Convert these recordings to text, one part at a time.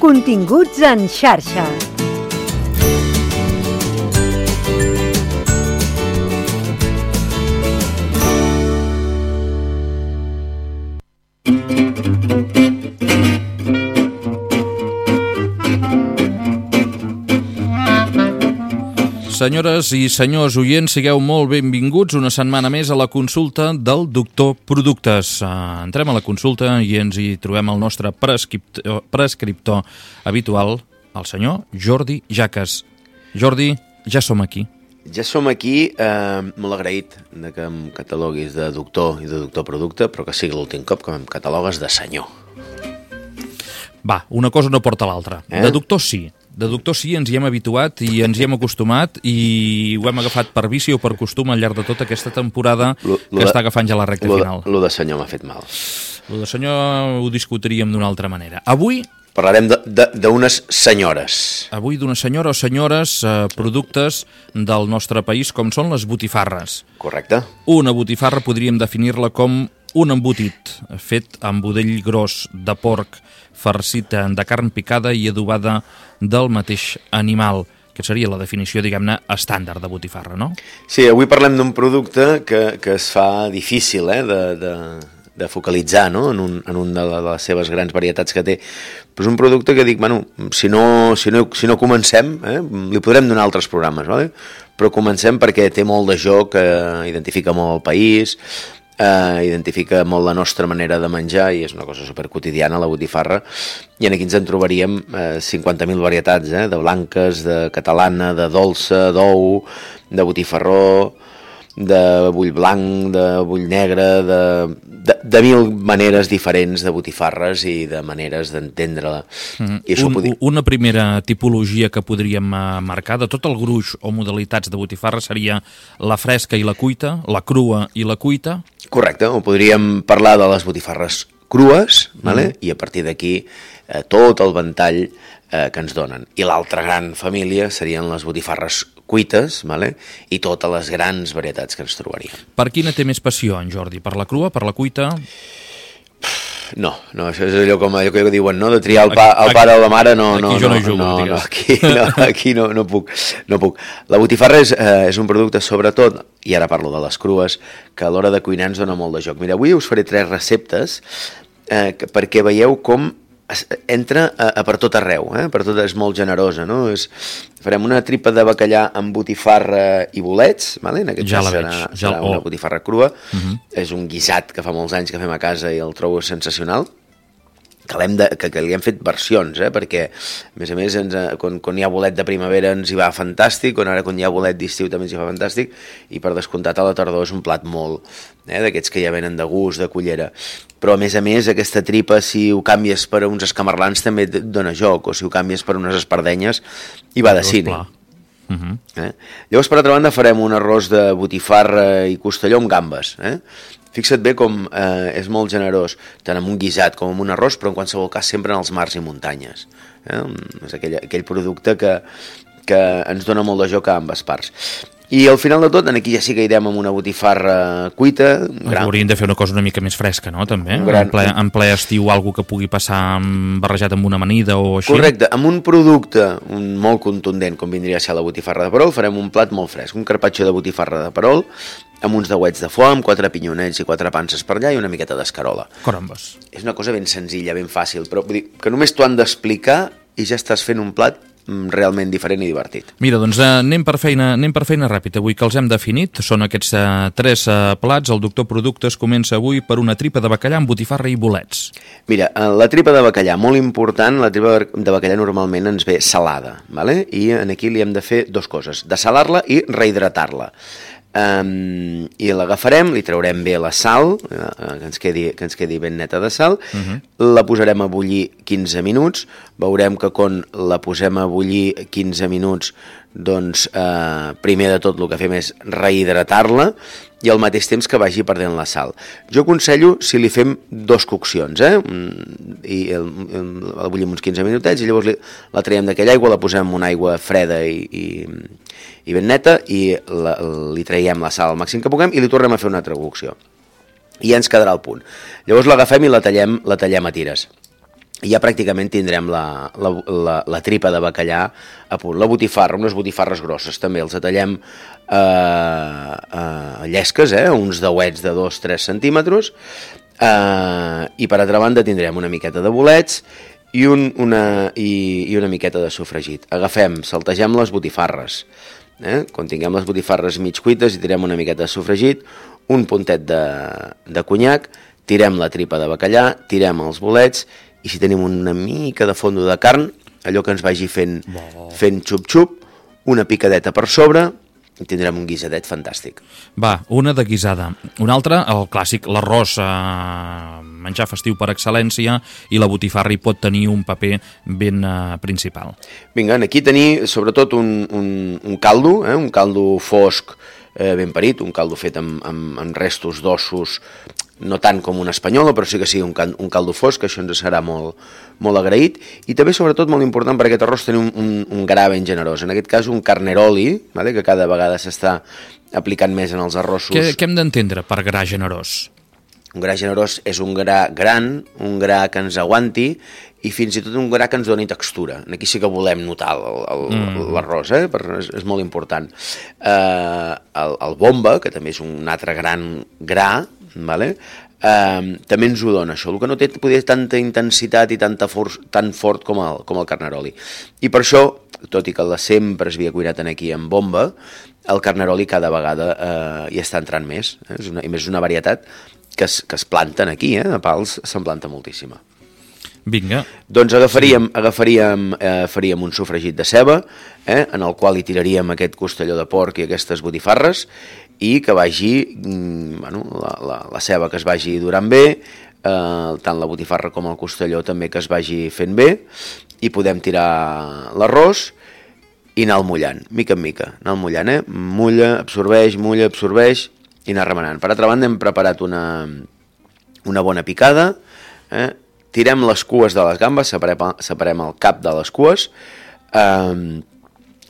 Continguts en xarxa. Senyores i senyors oients, sigueu molt benvinguts una setmana més a la consulta del Doctor Productes. Entrem a la consulta i ens hi trobem el nostre prescriptor habitual, el senyor Jordi Jaques. Jordi, ja som aquí. Ja som aquí, molt agraït que em cataloguis de doctor i de doctor producte, però que sigui l'últim cop que em catalogues de senyor. Va, una cosa no porta l'altra. De doctor sí. De doctor sí, ens hi hem habituat i ens hi hem acostumat i ho hem agafat per vici o per costum al llarg de tota aquesta temporada que està agafant ja la recta final. Lo de senyor m'ha fet mal. Lo de senyor ho discutiríem d'una altra manera. Avui parlarem d'unes senyores. Avui d'una senyora o senyores productes del nostre país com són les botifarres. Correcte. Una botifarra podríem definir-la com un embotit fet amb budell gros de porc farcit de carn picada i adobada del mateix animal, que seria la definició, diguem-ne, estàndard de botifarra, no? Sí, avui parlem d'un producte que es fa difícil de focalitzar, no? en un de les seves grans varietats que té. Però és un producte que dic, bueno, si no comencem, li podrem donar altres programes, ¿vale? Però comencem perquè té molt de joc, identifica molt el país, identifica molt la nostra manera de menjar i és una cosa superquotidiana, la botifarra, i aquí ens en trobaríem 50.000 varietats, de blanques, de catalana, de dolça, d'ou, de botifarró, de bull blanc, de bull negre, de mil maneres diferents de botifarres i de maneres d'entendre-la. Una primera tipologia que podríem marcar de tot el gruix o modalitats de botifarra seria la fresca i la cuita, la crua i la cuita. Correcte, o podríem parlar de les botifarres crues, i a partir d'aquí tot el ventall que ens donen. I l'altra gran família serien les botifarres cuites, i totes les grans varietats que ens trobaríem. Per quina té més passió, en Jordi? Per la crua, per la cuita? No, això és allò que diuen, no? De triar el pare o la mare, no. Aquí jo no hi jugo, digues. Aquí no puc. La botifarra és un producte, sobretot, i ara parlo de les crues, que a l'hora de cuinar ens dona molt de joc. Mira, avui us faré 3 receptes perquè veieu com entra per tot arreu, per tot, és molt generosa, no? Farem una tripa de bacallà amb botifarra i bolets, en aquest cas serà una botifarra crua, és un guisat que fa molts anys que fem a casa i el trobo sensacional, que li hem fet versions, perquè a més quan hi ha bolet de primavera ens hi va fantàstic, quan hi ha bolet d'estiu també ens hi va fantàstic, i per descomptat a la tardor és un plat molt d'aquests que ja venen de gust, de cullera, però a més aquesta tripa, si ho canvies per uns escamarlans també et dona joc, o si ho canvies per unes espardenyes hi va de cine. Llavors, per altra banda, farem un arròs de botifarra i costelló amb gambes. Fixa't bé com és molt generós, tant amb un guisat com amb un arròs, però en qualsevol cas sempre en els mars i muntanyes. És aquell producte que ens dona molt de joc a ambes parts. I al final de tot, aquí ja sí que irem amb una botifarra cuita. Hauríem de fer una cosa una mica més fresca, no?, també? En ple estiu, algo que pugui passar barrejat amb una amanida o així? Correcte, amb un producte molt contundent, com vindria a ser la botifarra de perol, farem un plat molt fresc, un carpaccio de botifarra de perol, amb uns dauets de foie, amb 4 pinyonets i 4 panses per allà i una miqueta d'escarola. Carambes. És una cosa ben senzilla, ben fàcil, però vull dir que només t'ho han d'explicar i ja estàs fent un plat realment diferent i divertit. Mira, doncs anem per feina ràpida. Avui que els hem definit, són aquests 3 plats. El Doctor Productes comença avui per una tripa de bacallà amb botifarra i bolets. Mira, la tripa de bacallà, molt important, la tripa de bacallà normalment ens ve salada, i aquí li hem de fer 2 coses, dessalar-la i rehidratar-la. I l'agafarem, li traurem bé la sal, que ens quedi ben neta de sal, la posarem a bullir 15 minuts, veurem que quan la posem a bullir 15 minuts, doncs primer de tot el que fem és rehidratar-la i al mateix temps que vagi perdent la sal. Jo aconsello si li fem 2 coccions, i la bullim uns 15 minutets i llavors la traiem d'aquella aigua, la posem en una aigua freda i ben neta i li traiem la sal al màxim que puguem i li tornem a fer una altra cocció. I ja ens quedarà al punt. Llavors l'agafem i la tallem a tires. i ja pràcticament tindrem la tripa de bacallà a punt. La botifarra, unes botifarres grosses també, els tallem llesques, uns dauets de 2-3 centímetres, i per altra banda tindrem una miqueta de bolets i una miqueta de sofregit. Saltegem les botifarres. Quan tinguem les botifarres mig cuites i tirem una miqueta de sofregit, un puntet de conyac, tirem la tripa de bacallà, tirem els bolets, i si tenim una mica de fondo de carn, allò que ens vagi fent xup-xup, una picadeta per sobre, i tindrem un guisadet fantàstic. Va, una de guisada. Una altra, el clàssic, l'arròs, menjar festiu per excel·lència, i la botifarra hi pot tenir un paper ben principal. Vinga, aquí tenir sobretot un caldo, un caldo fosc ben parit, un caldo fet amb restos d'ossos, no tant com una espanyola, però sí que sigui un caldo fosc, que això ens serà molt agraït, i també sobretot molt important per aquest arròs tenir un gra ben generós, en aquest cas un carneroli, que cada vegada s'està aplicant més en els arrossos. Què hem d'entendre per gra generós? Un gra generós és un gra gran, un gra que ens aguanti, i fins i tot un gra que ens doni textura. Aquí sí que volem notar l'arròs, és molt important. El bomba, que també és un altre gran gra, també ens ho dona això, el que no té poder tanta intensitat i tan fort com el carneroli. I per això, tot i que sempre es havia cuinat aquí en bomba, el carneroli cada vegada hi està entrant més, i més és una varietat que es planten aquí, a Pals se'n planta moltíssima. Vinga. Doncs faríem un sofregit de ceba, en el qual hi tiraríem aquest costelló de porc i aquestes botifarres, i que vagi, la ceba que es vagi durant bé, tant la botifarra com el costelló també que es vagi fent bé, i podem tirar l'arròs i anar mullant, mica en mica, anar mullant, mulla, absorbeix, i anar remenant. Per altra banda, hem preparat una bona picada, tirem les cues de les gambes, separem el cap de les cues,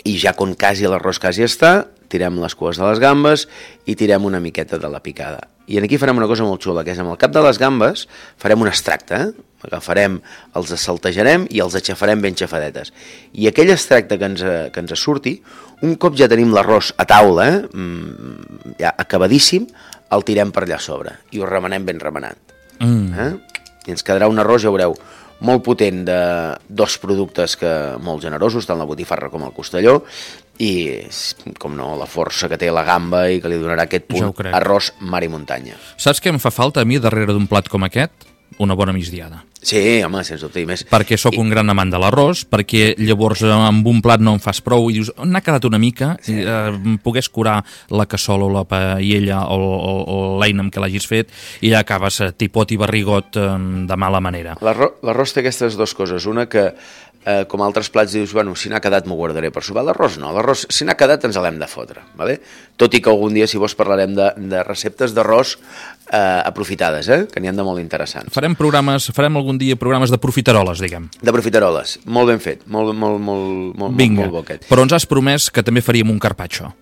i ja quan l'arròs quasi està, tirem les cues de les gambes i tirem una miqueta de la picada. I aquí farem una cosa molt xula, que és amb el cap de les gambes farem un extracte, els saltejarem i els aixafarem ben xafadetes. I aquell extracte que ens surti, un cop ja tenim l'arròs a taula, ja acabadíssim, el tirem per allà a sobre i ho remenem ben remenat. I ens quedarà un arròs, ja veureu, molt potent de dos productes molt generosos, tant la botifarra com el costelló, i, com no, la força que té la gamba i que li donarà aquest punt arròs mar i muntanya. Saps què em fa falta a mi darrere d'un plat com aquest? Una bona migdiada. Sí, home, sens dubte i més. Perquè sóc un gran amant de l'arròs, perquè llavors amb un plat no en fas prou i dius, n'ha quedat una mica, pogués curar la cassola o la paella o l'eina amb què l'hagis fet i ja acabes tipot i barrigot de mala manera. L'arròs té aquestes dues coses, una que com altres plats dius, bueno, si n'ha quedat m'ho guardaré per sopar. L'arròs no, l'arròs si n'ha quedat ens l'hem de fotre, ¿vale? Tot i que algun dia, si vols, parlarem de receptes d'arròs aprofitades, que n'hi ha de molt interessants. Farem algun dia programes de profiteroles, diguem. De profiteroles, molt ben fet, molt bo aquest. Però ens has promès que també faríem un carpaccio.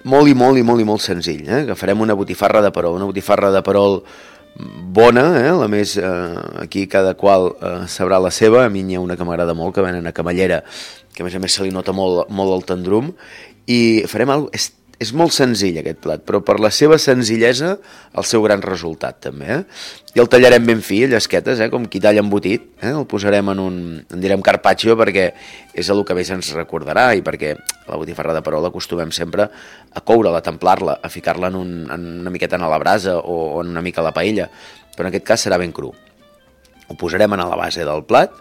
Molt senzill, que farem una botifarra de perol bona, la més, aquí cada qual sabrà la seva. A mi n'hi ha una que m'agrada molt, que venen a Camallera, que a més se li nota molt el tendrum, i farem alguna cosa. És molt senzill aquest plat, però per la seva senzillesa el seu gran resultat també, i el tallarem ben fi, llesquetes, com qui talla embotit, el posarem en direm carpaccio perquè és el que més ens recordarà, i perquè la botifarra de perol acostumem sempre a coure-la, a templar-la, a ficar-la en una miqueta a la brasa o en una mica a la paella, però en aquest cas serà ben cru. Ho posarem a la base del plat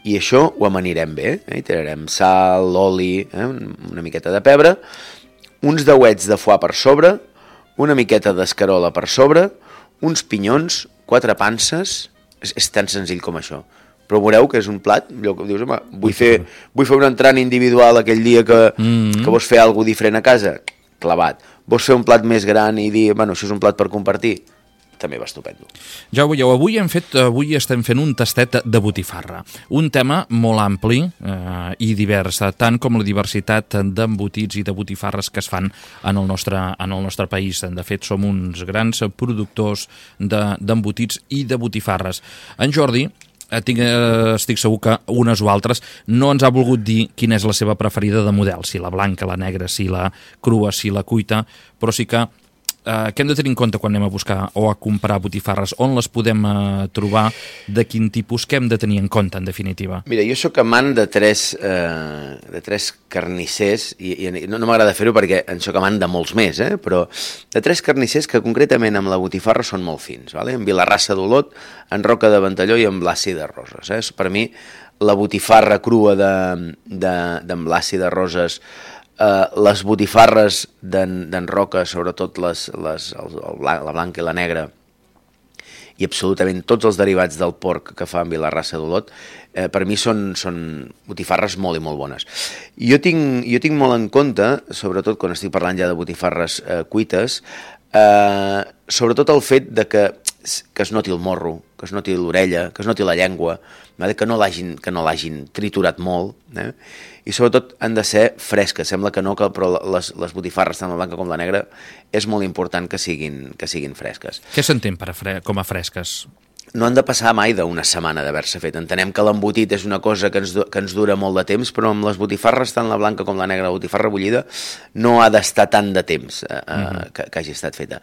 i això ho amanirem bé, hi tirarem sal, oli, una miqueta de pebre, uns dauets de foie per sobre, una miqueta d'escarola per sobre, uns pinyons, 4 panses, és tan senzill com això. Però veureu que és un plat, allò que dius, home, vull fer un entrant individual aquell dia que vols fer alguna cosa diferent a casa, clavat. Vols fer un plat més gran i dir, bueno, això és un plat per compartir, també va estupendo. Ja ho veieu, avui estem fent un tastet de botifarra. Un tema molt ampli i divers, tant com la diversitat d'embotits i de botifarres que es fan en el nostre país. De fet, som uns grans productors d'embotits i de botifarres. En Jordi estic segur que unes o altres no ens ha volgut dir quina és la seva preferida de model, si la blanca, la negra, si la crua, si la cuita, però sí que què hem de tenir en compte quan anem a buscar o a comprar botifarres? On les podem trobar? De quin tipus? Què hem de tenir en compte, en definitiva? Mira, jo sóc amant de tres carnissers, i no m'agrada fer-ho perquè en sóc amant de molts més, però de tres carnissers que concretament amb la botifarra són molt fins, vale? En Vilarrassa d'Olot, en Roca de Ventalló i en Blasi de Roses. Per mi, la botifarra crua d'en Blasi de Roses, les botifarres d'en Roca, sobretot la blanca i la negra, i absolutament tots els derivats del porc que fa en Vilarrassa d'Olot, per mi són botifarres molt i molt bones. Jo tinc molt en compte, sobretot quan estic parlant ja de botifarres cuites, sobretot el fet de que es noti el morro, que es noti l'orella, que es noti la llengua, que no l'hagin triturat molt, i sobretot han de ser fresques. Sembla que no, però les botifarres, tant la blanca com la negra, és molt important que siguin fresques. Què s'entén com a fresques? No han de passar mai d'una setmana d'haver-se fet. Entenem que l'embotit és una cosa que ens dura molt de temps, però amb les botifarres, tant la blanca com la negra, la botifarra bullida, no ha d'estar tant de temps que hagi estat feta.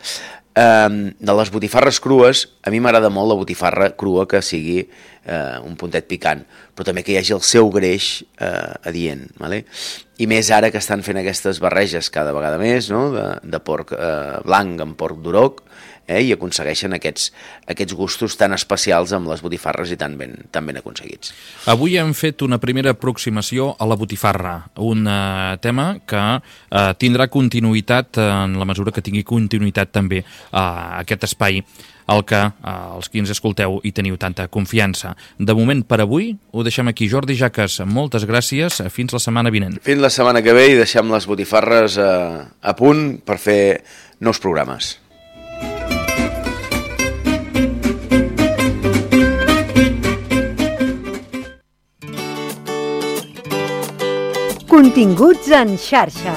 De les botifarres crues, a mi m'agrada molt la botifarra crua que sigui un puntet picant, però també que hi hagi el seu greix adient. I més ara que estan fent aquestes barreges cada vegada més, de porc blanc amb porc d'Urok, i aconsegueixen aquests gustos tan especials amb les botifarres i tan ben aconseguits. Avui hem fet una primera aproximació a la botifarra, un tema que tindrà continuïtat en la mesura que tingui continuïtat també aquest espai al que els qui ens escolteu hi teniu tanta confiança. De moment, per avui, ho deixem aquí. Jordi Jaques, moltes gràcies. Fins la setmana vinent. Fins la setmana que ve i deixem les botifarres a punt per fer nous programes. Continguts en xarxa.